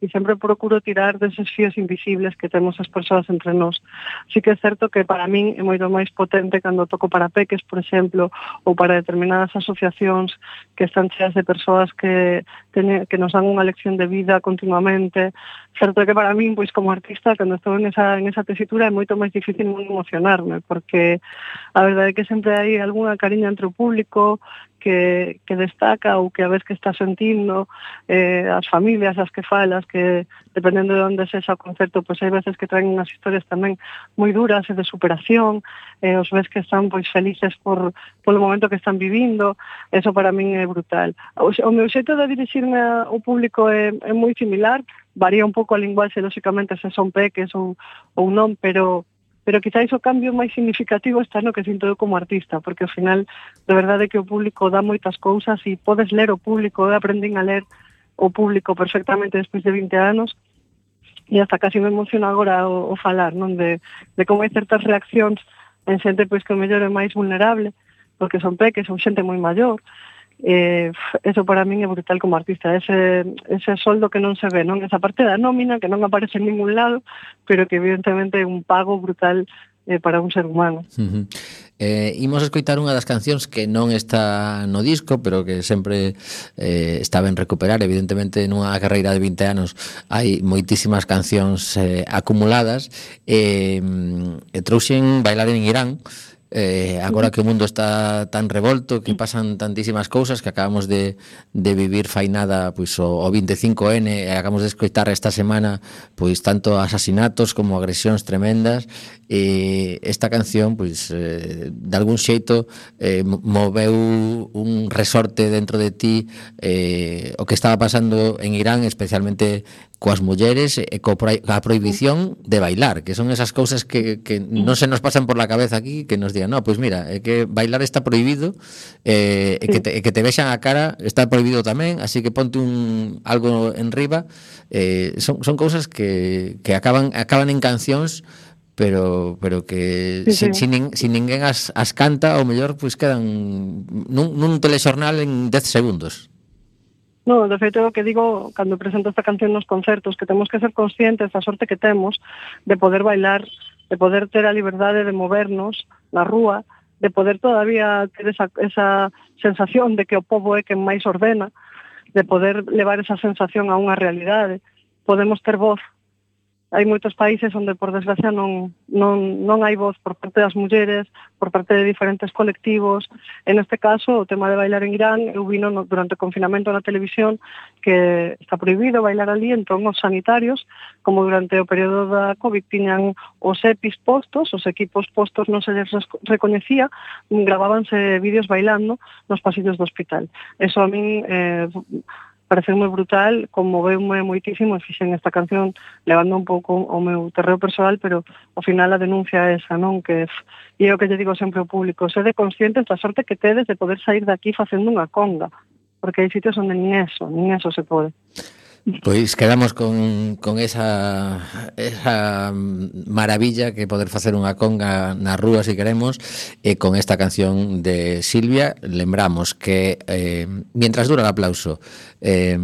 e sempre procuro tirar deses fíos invisibles que temos as persoas entre nós. Sí que é certo que para min é moito máis potente cando toco para peques, por exemplo, ou para determinadas asociacións que están cheas de persoas que, teñe, que nos dan unha lección de vida continuamente. Certo que para min, pois como artista, cando estou en esa, en esa tesitura é moito máis difícil non emocionarme, porque a verdade é que sempre hai algunha cariña entre o público que, que destaca ou que a vez que está sentindo, eh, as familias as que falas, que dependendo de onde sexa o concerto, pois hai veces que traen unhas historias tamén moi duras e de superación, eh, os ves que están pois felices por polo momento que están vivindo. Eso para min é brutal. O, o meu xeito de dirixirme ao público é, é moi similar, varía un pouco a linguaxe, lóxicamente, se son peques ou, ou non, pero pero quizáis o cambio máis significativo está no que sinto eu como artista, porque ao final, de verdade que o público dá moitas cousas e podes ler o público. Eu aprendín a ler o público perfectamente despois de vinte anos e hasta casi me emociona agora o, o falar, non, de, de como hai certas reaccións en xente pois que o mellor é máis vulnerable, porque son peques ou xente moi maior, eh, eso para min é brutal como artista, ese, ese soldo que non se ve, non esa parte da nómina que non aparece en ningún lado, pero que evidentemente é un pago brutal eh, para un ser humano. Uh-huh. Eh, imos escoitar unha das cancións que non está no disco, pero que sempre eh, está ben recuperar. Evidentemente, nunha carreira de vinte anos hai moitísimas cancións eh, acumuladas. Eh, e trouxen Bailar en Irán. Eh, agora que o mundo está tan revolto, que pasan tantísimas cousas, que acabamos de, de vivir fainada pois, o, o vinte e cinco ene, e acabamos de escoitar esta semana pois tanto asasinatos como agresións tremendas, e esta canción pois eh, de algún xeito eh, moveu un resorte dentro de ti eh, o que estaba pasando en Irán, especialmente coas mulleres e co pro, a prohibición de bailar, que son esas cousas que, que non se nos pasan por la cabeza aquí, que nos digan, no, pois mira, é que bailar está prohibido, eh, e que te, e que te vexan a cara está prohibido tamén, así que ponte un algo en riba. Eh, son, son cousas que, que acaban acaban en cancións, pero pero que sí, sí. Sin, sin, sin ninguén as, as canta, ou mellor pois quedan nun, nun telexornal en dez segundos. No, de feito, o que digo cando presento esta canción nos concertos, que temos que ser conscientes da sorte que temos de poder bailar, de poder ter a liberdade de movernos na rúa, de poder todavía ter esa, esa sensación de que o pobo é quen máis ordena, de poder levar esa sensación a unha realidade. Podemos ter voz. Hai moitos países onde, por desgracia, non, non, non hai voz por parte das mulleres, por parte de diferentes colectivos. En este caso, o tema de bailar en Irán, eu vino no, durante o confinamento na televisión que está prohibido bailar ali, entón os sanitarios, como durante o período da COVID tiñan os EPIs postos, os equipos postos non se les recoñecía, gravábanse vídeos bailando nos pasillos do hospital. Eso a min... Eh, parece moi brutal, conmoveume moitísimo e fixen esta canción levando un pouco o meu terreo persoal, pero ao final a denuncia é esa, non? Que e é o que lle digo sempre ao público, sede conscientes da sorte que tedes de poder sair daqui facendo unha conga, porque hai sitios onde nin eso, nin eso se pode. Pois quedamos con, con esa, esa maravilla que poder facer unha conga na rúa, se queremos, e con esta canción de Silvia. Lembramos que eh, mientras dura o aplauso eh,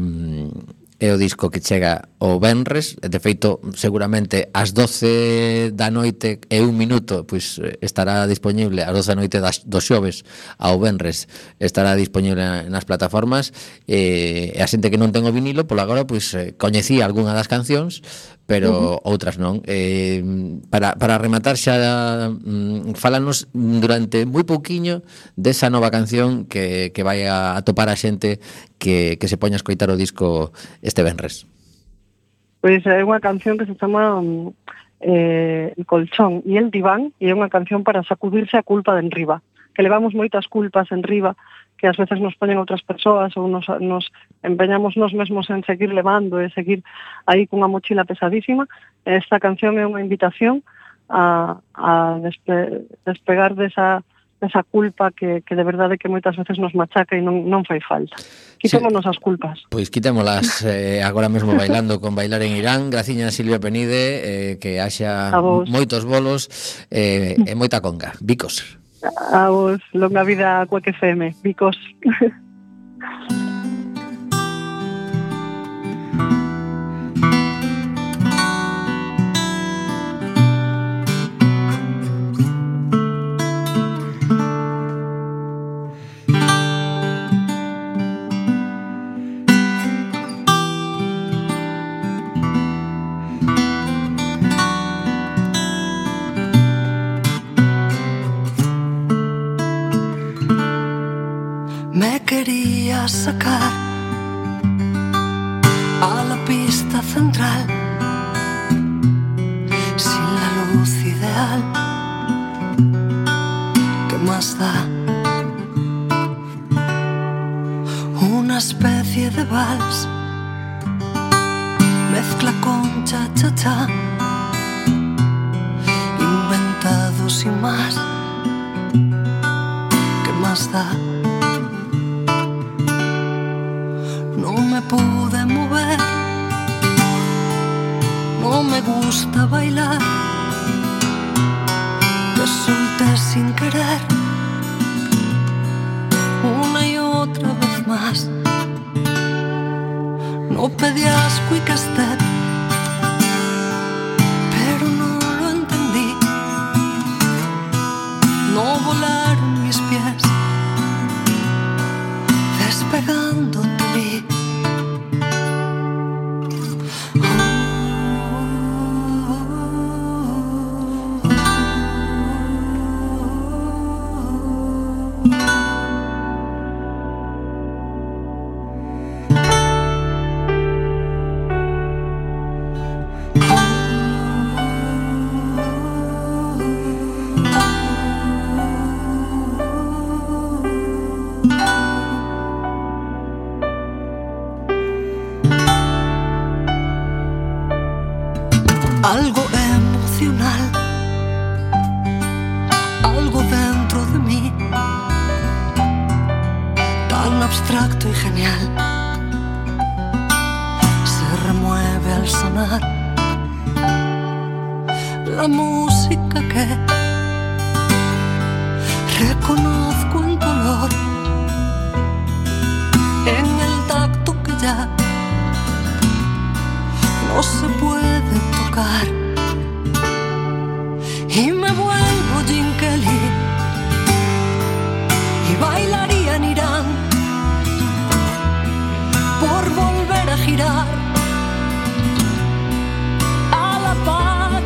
é o disco que chega o venres, de feito seguramente ás doce da noite e un minuto pois estará disponible, ás doce da noite das, dos xoves ao venres estará disponible nas plataformas, e a xente que non ten o vinilo polo agora pois coñecía algunha das cancións, pero uh-huh. outras non. Eh, para, para rematar xa, mm, fálanos durante moi pouquiño desa nova canción que, que vai a, a topar a xente que, que se poña a escoitar o disco este venres. Pois é unha canción que se chama eh, El colchón e el diván, e é unha canción para sacudirse a culpa de enriba, que levamos moitas culpas enriba, que ás veces nos poñen outras persoas ou nos, nos empeñamos nos mesmos en seguir levando e seguir aí cunha mochila pesadísima. Esta canción é unha invitación a, a despe, despegar desa, desa culpa que, que de verdade que moitas veces nos machaca e non, non fai falta. Quitémonos sí. as culpas. Pois quitémolas eh, agora mesmo bailando con Bailar en Irán. Graciña Silvia Penide, eh, que haxa moitos bolos eh, e moita conga. Bicos. A vos, longa vida a Cuac F M, bicos. Quería sacar a la pista central sin la luz ideal. ¿Qué más da? Una especie de vals, mezcla con cha-cha-cha, inventado sin más. ¿Qué más da? No me pude mover, no me gusta bailar, te solté sin querer, una y otra vez. algo emocional, algo dentro de mí, tan abstracto y genial, se remueve al sonar la música que reconozco en color, en el tacto que ya no se puede tocar, y me vuelvo Jim Kelly y bailaría en Irán por volver a girar a la paz.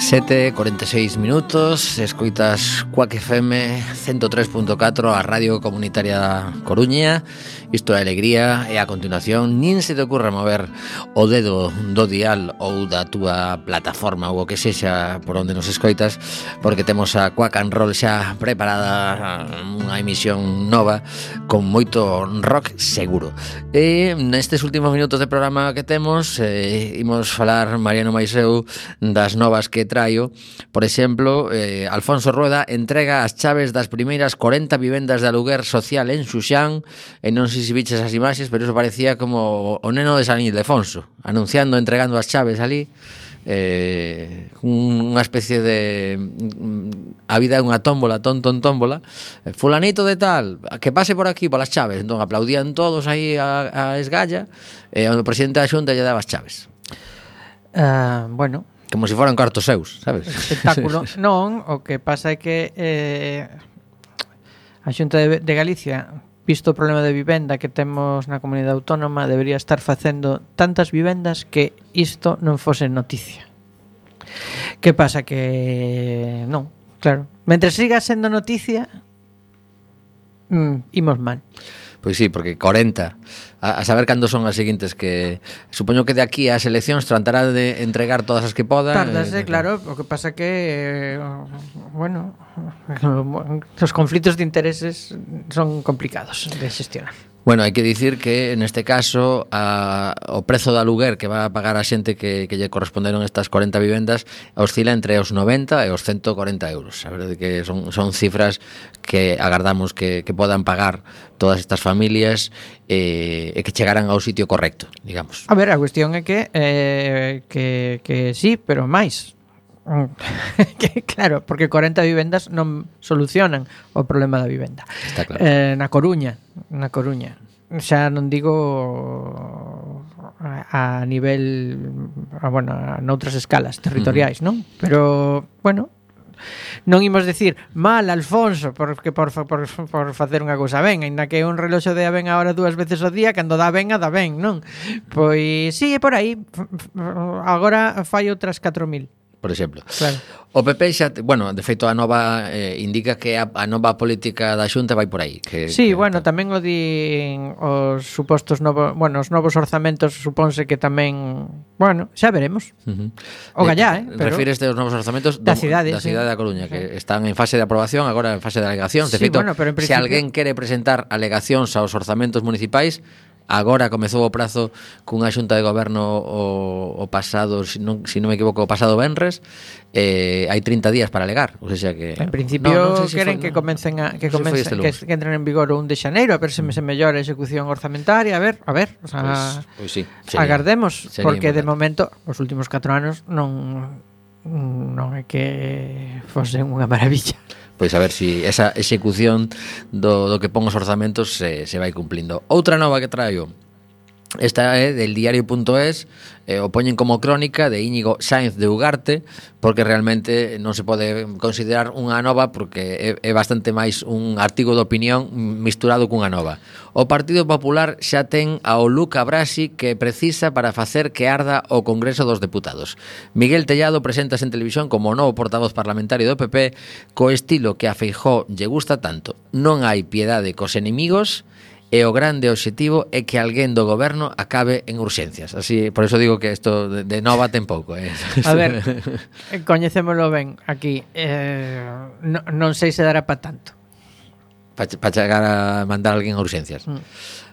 sete e cuarenta e seis minutos, escoitas Quack F M ciento tres punto catro, a Radio Comunitaria da Coruña. Isto é Alegría, e a continuación nin se te ocurra mover o dedo do dial ou da túa plataforma ou o que sexa por onde nos escoitas, porque temos a Quack and Roll xa preparada, unha emisión nova con moito rock seguro. E nestes últimos minutos de programa que temos, eh, imos falar, Mariano Maiseu, das novas que traio. Por exemplo, eh, Alfonso Rueda entrega as chaves das primeiras corenta vivendas de aluguer social en Xuxán, e non sei se viches as imaxes, pero iso parecía como o neno de San Ildefonso, anunciando, entregando as chaves ali, eh, unha especie de a vida é unha tómbola, ton, ton, tómbola, fulanito de tal, que pase por aquí polas chaves. Entón aplaudían todos aí a, a esgalla, e o presidente da Xunta lle daba as chaves. Uh, bueno, como se foran cartos seus, sabes? Espectáculo. Non, o que pasa é que eh, a Xunta de, de Galicia, visto o problema de vivenda que temos na comunidade autónoma, debería estar facendo tantas vivendas que isto non fose noticia. Que pasa que non, claro, mentre siga sendo noticia, mm, imos mal. Pois sí, porque corenta, a, a saber cando son as seguintes, que supoño que de aquí ás eleccións tratará de entregar todas as que poda. Tardase, eh, claro, o que pasa que eh, bueno, os conflitos de intereses son complicados de xestionar. Bueno, hai que dicir que neste caso a, o prezo de aluguer que va a pagar a xente que, que lle corresponderon estas corenta vivendas oscila entre os noventa e os ciento corenta euros. A verdade que son, son cifras que agardamos que, que podan pagar todas estas familias e, e que chegaran ao sitio correcto, digamos. A ver, a cuestión é que eh, que, que sí, pero máis. Que, claro, porque corenta vivendas non solucionan o problema da vivenda. Está claro. Eh, na Coruña, na Coruña. Xa non digo a, a nivel, a, bueno, a noutras escalas territoriais, uh-huh. non? Pero, bueno, non imos decir mal Alfonso porque por, por, por facer unha cousa ben, aínda que un reloxo de a ben agora dúas veces ao día, cando dá ben a dá ben, non? Pois sí, é por aí. Agora fai outras catro mil. Por exemplo, claro. O P P xa, bueno, de feito a nova eh, indica que a, a nova política da Xunta vai por aí, que, sí, que, bueno, tamén o din os supostos novos, bueno, os novos orzamentos suponse que tamén, bueno, xa veremos. Uh-huh. O gallá, eh, pero refíreste aos novos orzamentos da cidade, da cidade sí. da Coruña, sí. que están en fase de aprobación, agora en fase de alegacións. De sí, feito, bueno, pero en principio... se alguén quere presentar alegacións aos orzamentos municipais, agora comezou o prazo cunha xunta de goberno o, o pasado, se si non, si non me equivoco, o pasado venres, eh, hai trinta días para alegar, ou seja que en principio no, no sé si queren foi, que comecen a que comecen si que, que entren en vigor o un de xaneiro, a ver se me se mellora a execución orzamentaria, a ver, a ver, o sea, pues, pues sí, sería, agardemos, sería porque importante. De momento os últimos catro anos non non é que fose unha maravilla. Pois a ver se si esa execución do, do que pon os orzamentos se, se vai cumplindo. Outra nova que traio Esta é del diario punto es, eh, o poñen como crónica de Íñigo Sáenz de Ugarte, porque realmente non se pode considerar unha nova porque é, é bastante máis un artigo de opinión misturado cunha nova. O Partido Popular xa ten ao Luca Brasi que precisa para facer que arda o Congreso dos Deputados. Miguel Tellado preséntase en televisión como o novo portavoz parlamentario do P P co estilo que a Feijóo lle gusta tanto. Non hai piedade cos enemigos e o grande obxectivo é que alguén do goberno acabe en urxencias. Así, por eso digo que isto de, de nova ten pouco. Eh. A ver, coñecémolo ben aquí. Eh, no, non sei se dará pa tanto. Para pa chegar a mandar a alguén a urxencias. Mm.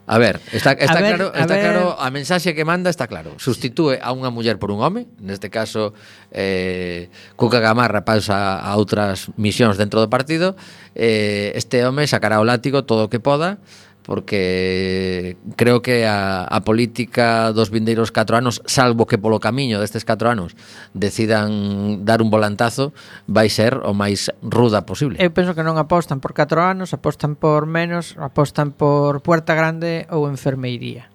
A ver, está, está, a ver, claro, está ver... claro, a mensaxe que manda está claro. Sustitúe a unha muller por un home, neste caso eh, Cuca Gamarra pasa a outras misións dentro do partido, eh, este home sacará o látigo todo o que poda, porque creo que a, a política dos vindeiros catro anos, salvo que polo camiño destes catro anos decidan dar un volantazo, vai ser o máis ruda posible. Eu penso que non apostan por catro anos, apostan por menos, apostan por Puerta Grande ou enfermeiría.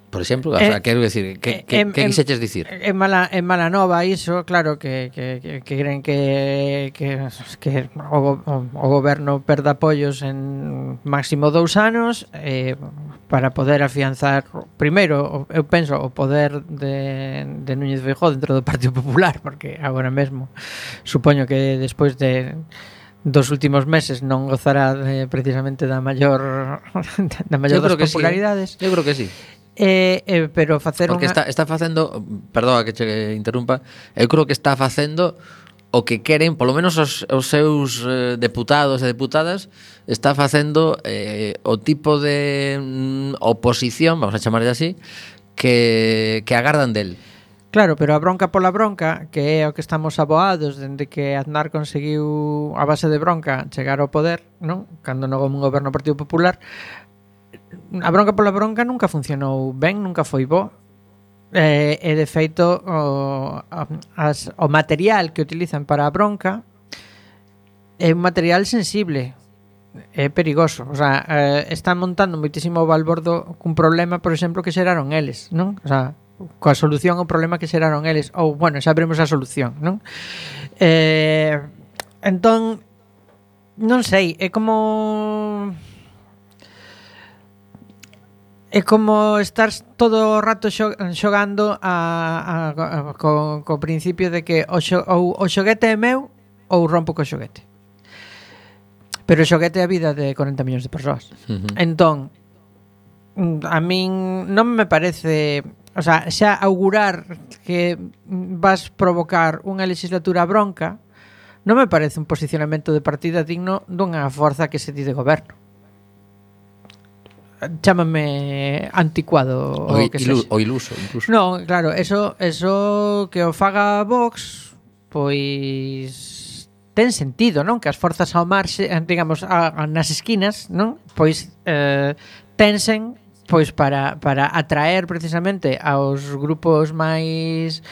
Por exemplo, o eh, sea, quero decir, que, que, eh, que quixeches dicir? É mala, é mala nova iso, claro, que, que, que, que creen que, que, que o, o, o goberno perda apoios en máximo dous anos eh, para poder afianzar primeiro, eu penso, o poder de, de Núñez Feijóo dentro do Partido Popular, porque agora mesmo supoño que despois de dos últimos meses non gozará de, precisamente da maior da maior das popularidades. Sí, eh? Eu creo que sí. Eh, eh, pero facer porque unha... está, está facendo, perdoa que che interrumpa, eu creo que está facendo o que queren, polo menos os, os seus eh, deputados e deputadas, está facendo eh, o tipo de mm, oposición, vamos a chamarlle así, que, que agardan del. Claro, pero a bronca pola bronca, que é o que estamos aboados dende que Aznar conseguiu a base de bronca chegar ao poder, non? Cando non houve un goberno Partido Popular, a bronca pola bronca nunca funcionou ben, nunca foi bo. E, e de feito o, as, o material que utilizan para a bronca é un material sensible, é perigoso. O sea, eh, están montando moitísimo balbordo cun problema, por exemplo, que xeraron eles, non? O sea, coa solución ao problema que xeraron eles, ou, bueno, xa veremos a solución, non? Eh, entón, non sei, é como... É como estar todo o rato xogando a, a, a, co, co principio de que o, xo, ou, o xoguete é meu ou rompo co xoguete. Pero o xoguete é a vida de corenta millóns de persoas. Uh-huh. Entón, a min non me parece... O sea, xa augurar que vas provocar unha legislatura bronca non me parece un posicionamento de partida digno dunha forza que se di de goberno. Chámame anticuado o, o que ilu, sexa. O iluso incluso. Non, claro, eso, eso que o faga Vox, pois ten sentido, non? Que as forzas ao marxe, digamos, a, a, nas esquinas, non? Pois eh, tensen pois para, para atraer precisamente aos grupos máis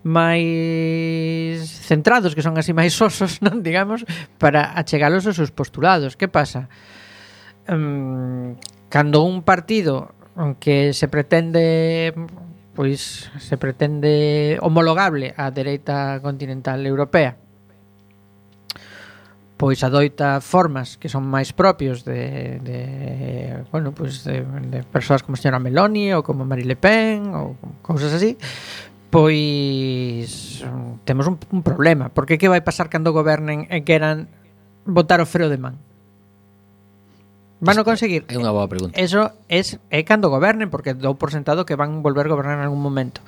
máis centrados, que son así máis sosos, non? Digamos, para achegalos aos seus postulados. Que pasa? Um, cando un partido que se pretende pois se pretende homologable á dereita continental europea, pois adoita formas que son máis propios de, de bueno, pois de, de persoas como a señora Meloni ou como Marine Le Pen ou cousas así, pois temos un, un problema, porque que vai pasar cando gobernen e queran botar o freo de man? Van a conseguir? É unha boa pregunta. Eso es, é cando gobernen, porque dou por sentado que van volver a gobernar en algún momento.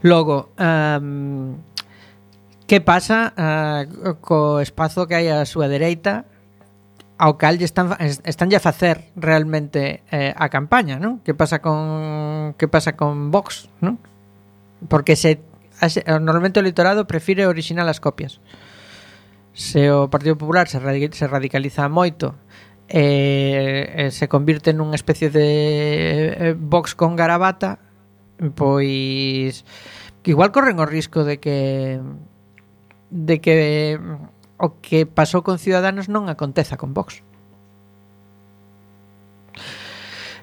Logo, um, que pasa uh, co espazo que hai á súa dereita, ao cal están están a facer realmente eh, a campaña, non? Que pasa con que pasa con Vox, non? Porque se normalmente o electorado prefire original as copias. Se o Partido Popular se, radic, se radicaliza moito, Eh, eh, se convirte nunha especie de eh, Vox con garabata, pois que igual corren o risco de que de que o que pasou con Ciudadanos non aconteza con Vox.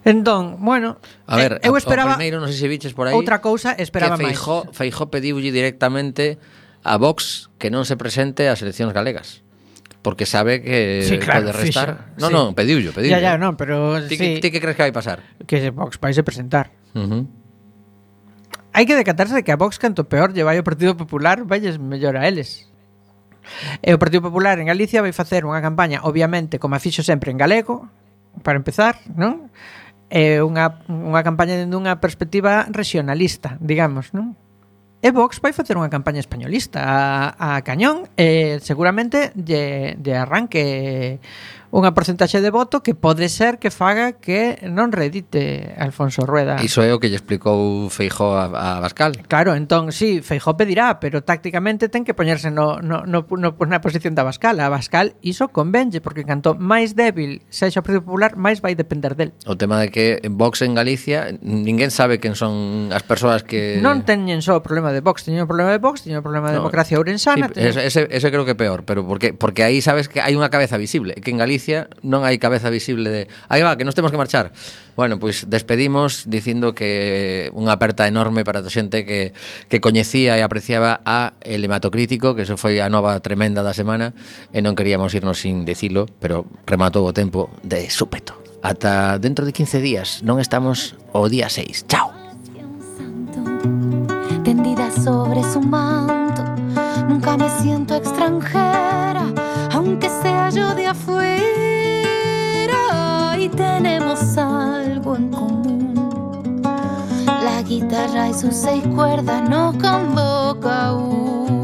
Entón, bueno, A ver, eu a- esperaba o primeiro, non sei se viches por aí, outra cousa, esperaba que máis. Feijó, Feijó pediulle directamente a Vox que non se presente ás eleccións galegas. Porque sabe que Sí, claro, pode restar. fixo, Non, sí. non, pediullo, pediullo. Ya, ya, non, pero Ti, sí, que- ti que crees que vai pasar? que Vox vais a presentar. Uh -huh. Hai que decatarse de que a Vox canto peor lle vai o Partido Popular, valles mellor a eles. E o Partido Popular en Galicia vai facer unha campaña, obviamente, como a fixo sempre en galego, para empezar, non? É unha, unha campaña dende unha perspectiva regionalista, digamos, non? E Vox vai facer unha campaña españolista a, a cañón e seguramente lle, lle arranque unha porcentaxe de voto que pode ser que faga que non redite Alfonso Rueda. Iso é o que lle explicou Feijó a, a Abascal. Claro, entón, sí, Feijó pedirá, pero tácticamente ten que poñerse no, no, no, no, na posición da Abascal. A Abascal iso convenlle, porque canto máis débil sexa o Partido Popular, máis vai depender del. O tema de que en Vox en Galicia ninguén sabe quen son as persoas que... Non teñen só o problema de Vox, teñen o problema de Vox, teñen o problema de No. democracia ourensana. Sí, ese, ese, ese creo que é peor, pero porque porque aí sabes que hai unha cabeza visible, que en Galicia non hai cabeza visible de aí va, que nos temos que marchar. Bueno, pois pues despedimos dicindo que unha aperta enorme para a xente que, que coñecía e apreciaba a El Hematocrítico, que eso foi a nova tremenda da semana, e non queríamos irnos sin dicilo, pero rematou o tempo de súpeto. Ata dentro de quince días, non estamos o día seis. Chao. Tendida sobre su manto, nunca me siento extranjera, aunque sea yo de afuera, y tenemos algo en común. La guitarra y sus seis cuerdas nos convoca. Uh.